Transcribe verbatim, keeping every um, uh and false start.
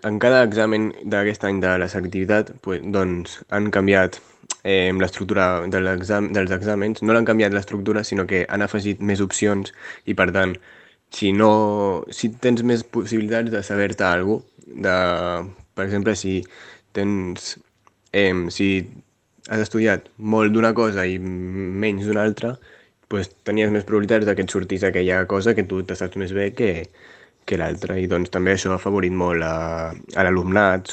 en cada examen d'aquest any de la selectivitat pues, doncs, han canviat eh, l'estructura de l'exam dels exàmens. No l'han canviat l'estructura, sinó que han afegit més opcions i, per tant, si, no, si tens més possibilitats de saber-te alguna cosa, de, per exemple, si tens, eh, si has estudiat molt d'una cosa i menys d'una altra, pues, tenies més probabilitats de que et sortís aquella cosa que tu te saps més bé que, que l'altra. I doncs també això ha afavorit molt a, a l'alumnat,